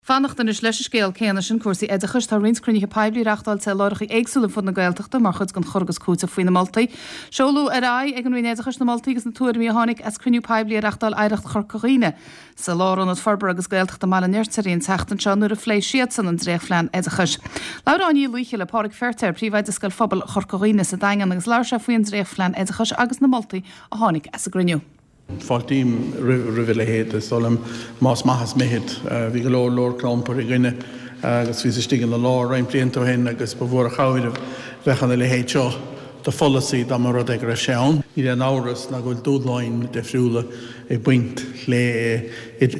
Fanacht anois leis an scéal céanna sin, cúrsaí oideachais. Tá roinnt cruinnithe poiblí reachtáilte i láithreacha éagsúla ar fud na Gaeltachta mar chuid den chur agus cúiteamh faoi na moltaí. Seoladh ar aghaidh ag an Roinn Oideachais na moltaí agus na tuairimí a tháinig as cruinniú poiblí a reachtáil Oidhreacht Chorca Dhuibhne sa Lárionad Forbartha agus Gaeltachta i mBaile an Fheirtéaraigh an tseachtain seo nuair a phléigh siadsan an dréachtphlean oideachais. Labhair Áine Uí Laoithe le Páraic Feirtéar, Príomhoide Scoil Phobail Chorca Dhuibhne sa Daingean agus labhair sé faoi an dréachtphlean oideachais agus na moltaí a tháinig as an gcruinniú. Fáiltím roimh a leithéid, is dóigh liom, más maith is mithid. Bhí go leor leor clampar againne agus bhíos istigh ina lár roinnt blianta ó shin agus ba mhór an chabhair a bheadh ina leithéid seo de pholasaí dá mba rud é go raibh sé ann. Níl aon amhras ná go bhfuil dúshláin difriúla ag baint le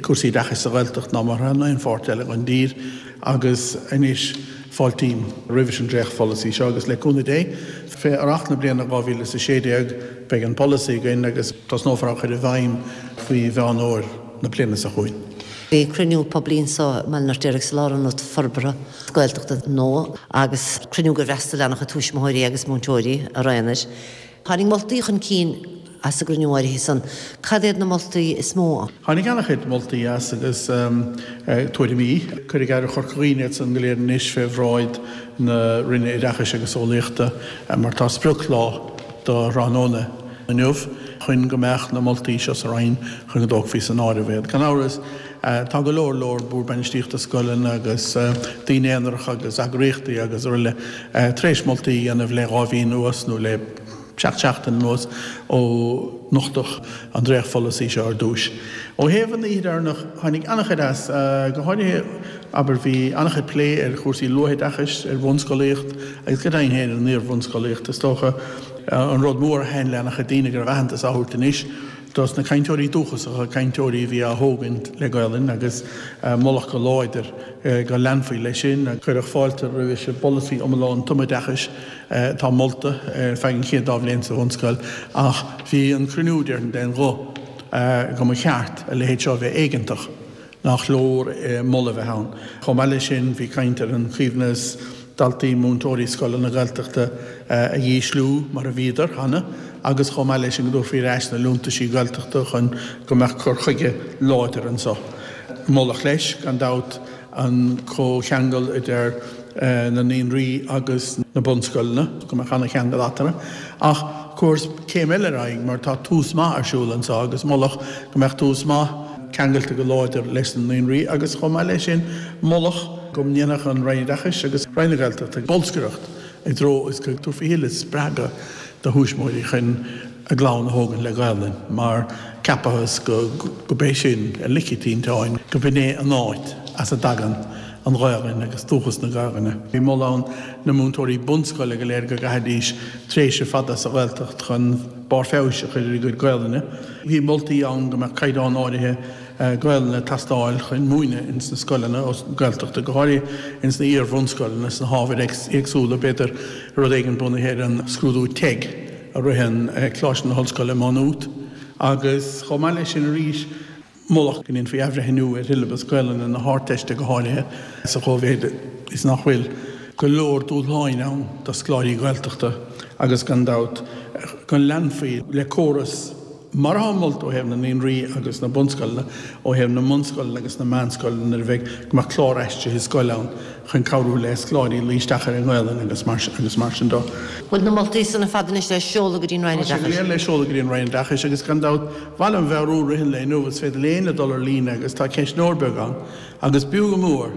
cúrsaí oideachais sa Ghaeltacht ná mar atá in aon pháirt eile den dtír agus anois fáiltím roimh an dréachtpholasaí seo agus le cúnamh Dé, fé Earrach na bliana 2016 beidh an polasaí againn agus tosnófar á chur i bhfeidhm faoi Mheán Fhómhair na bliana seo chugainn. Bhí cruinniú poiblí anso i mBaile an Fheirtéaraigh sa Lárionad Forbartha Gaeltachta nua agus cruinniú gur fhreastail an-chuid tuismitheoirí agus múinteoirí araon air. Tháinig moltaí chun cinn as an gcruinniú áirithe san. Cad iad na moltaí is mó? Tháinig an-chuid moltaí as agus tuairimí. Cuirfidh Oidhreacht Chorca Dhuibhne iad san go léir anois fé bhráid na Roinne Oideachais agus Eolaíochta mar tá sprioclá do thráthnóna inniu chun go mbeadh na moltaí seo sa Roinn chun go dtógfaí san áireamh iad. Gan amhras tá go leor leor Bord Bainistíochta scoileanna agus daoine aonaracha agus eagraíochtaí agus araile tar éis moltaí a dhéanamh le 2 mhí anuas nó le 7 seachtain anuas ó nochtadh an dréachtpholasaí seo ar dtúis. Ó thaobh an oíche dheireanach, tháinig an-chuid as, go háirithe, abair, bhí an-chuid plé ar chúrsaí luathoideachais, ar bhunscolaíocht agus go deimhin féin ar an iar-bhunscolaíocht. Is dócha an rud mór a thaitin le an-chuid daoine go raibh aitheantas á thabhairt anois dos na cainteoirí dúchasacha, cainteoirí a bhí á thógaint le Gaolainn agus moladh go láidir go leanfaí leis sin. Cuireadh fáilte roimh an bpolasaí iomlán tumoideachais atá molta ar feadh an chéad dá bhliain sa bhunscoil ach bhí an cruinniú, déarfainn, d'aon ghuth go mba cheart a leithéid seo a bheith éigeantach, nach leor moladh a bheith ann. Chomh maith leis sin bhí caint ar an choibhneas daltaí, múinteoirí scoileanna Gaeltachta a dhísliú mar a bhíodar cheana agus chomh maith leis sin go dtabharfaí ar ais na liúntaisí Gaeltachta chun go mbeadh cur chuige láidir anso. Moladh leis, gan dabht, an comhcheangal idir na naíonraí agus na bunscoileanna, go mbeadh ana-cheangal eatarthu. Ach chuathas céim eile ar aghaidh mar tá Tús Maith ar siúl anso agus moladh go mbeadh Tús Maith ceangailte go láidir leis na naíonraí agus chomh maith leis sin moladh go ndéanfadh an Roinn Oideachais agus Roinn na Gaeltachta bolscaireacht i dtreo is go dtabharfaí thuilleadh spreagadh do thuismitheoirí chun a gclann a thógaint le Gaelainn mar ceapathas go gurb é sin ar lic an tinteáin, go b'in é an áit as a dtagann an Ghaelainn agus dúchas na Gaelainne. Bhí moladh ann na múinteoirí bunscoile go léir go gcaithfidís tréimhse fada sa Ghaeltacht chun barr feabhais a chur ar a gcuid Gaelainne. Bhí moltaí ann go mbeadh caighdeán áirithe Gaelainne ag teastáil chun múineadh ins na scoileanna Gaeltachta, go háirithe ins na iar-bhunscoileanna, sna hábhair éagsúla, b'fhéidir rud éigin bunaithe ar an scrúdú teg a ritheann Coláiste na hOllscoile Má Nuat agus chomh maith leis sin arís moladh go ndéanfaí athbhreithniú ar shiollabas Gaelainne na hArdteiste go háirithe sa chóimhéid is nach bhfuil go leor dúshláin ann do scoláirí Gaeltachta agus gan dabht go leanfaí le córas Mar atá molta ó thaobh na naíonraí agus na bunscoileanna, ó thaobh na mbunscoileanna agus na meánscoileanna nuair a bheidh, go mbeadh clár aistrithe scoile ann chun cabhrú le scoláirí luí isteach ar an nGaelainn agus mar agus mar sin de. Bhfuil na moltaí san ar fad anois le seoladh go dtí an Roinn Tá sé go Oideachais? léir le seoladh go dtí an Roinn Oideachais agus gan dabht, ba mhaith liom a mheabhrú i rith an lae inniu, is féidir le éinne dul ar líne agus tá ceistneoir beag ann agus b'fhiú go mór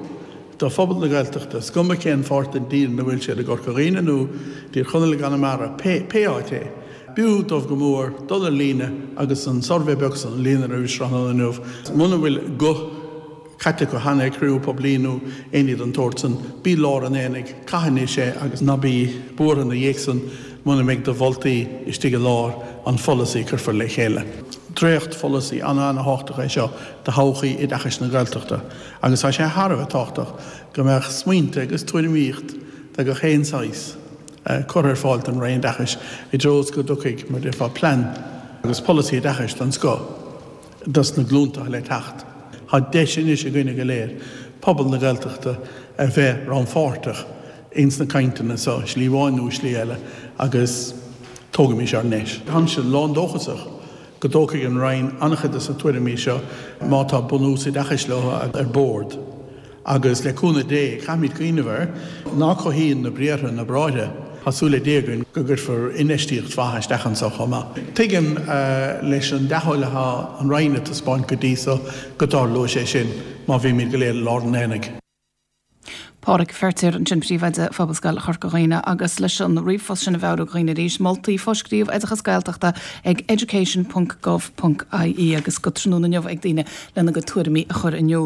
do phobal na Gaeltachta, is cuma cén pháirt den dtír ina bhfuil siad, i gCorca Dhuibhne nó dTír Chonaill i gConamara, pé pé áit é. B'fhiú dóibh go mór dul ar líne agus an suirbhé beag san a líonadh roimh tráthnóna inniu. Muna bhfuil guth caite acu cheana ag cruinniú poiblí nó aon ní den tsórt san, bí i lár an aonaigh, caith anois é agus ná bí buartha ina dhiaidh san muna mbeidh do mholtaí istigh i lár an pholasaí a cuirfear le chéile. Dréacht-pholasaí ana-ana-thábhachtach é seo do thodhchaí oideachais na Gaeltachta agus tá sé thar a bheith tábhachtach go mbeadh smaointe agus tuairimíocht de gach aon saghas curtha ar fáil don Roinn Oideachais i dtreo is go dtiocfaidh, mar a déarfá, plean agus polasaí oideachais den scoth dos na glúnta le teacht. Tá deis anois againne go léir, pobal na Gaeltachta, a bheith rannpháirteach ins na cainteanna so, slí amháin nó slí eile, agus tógaimis ár ndeis. Táimse lán-dóchasach go dtógfaidh an Roinn an-chuid de na tuairimí seo, má tá bunús oideachais leo, ar bord. Agus le cúnamh Dé, caithfimid cuimhneamh air, ná cothaíonn na briathra na bráithre. Tá súil le Dia againn go gcuirfear infheistíocht mhaith isteach anso chomh maith. Tuigim, leis an dea-thoil atá an Roinn ag taispeáint go dtí so, go dtarlóidh sé sin má bhímid go léir i lár an aonaigh. Pádraig Feirtéar ansin, Príomhoide Phobalscoil Chorca Dhuibhne agus leis an ríomhphost sin a mheabhrú do dhaoine arís, moltaí fá scríobh Oideachas Gaeltachta ag education ponc gov ponc ie agus go tráthnóna inniu ag daoine lena gcuid tuairimí a chur in iúl.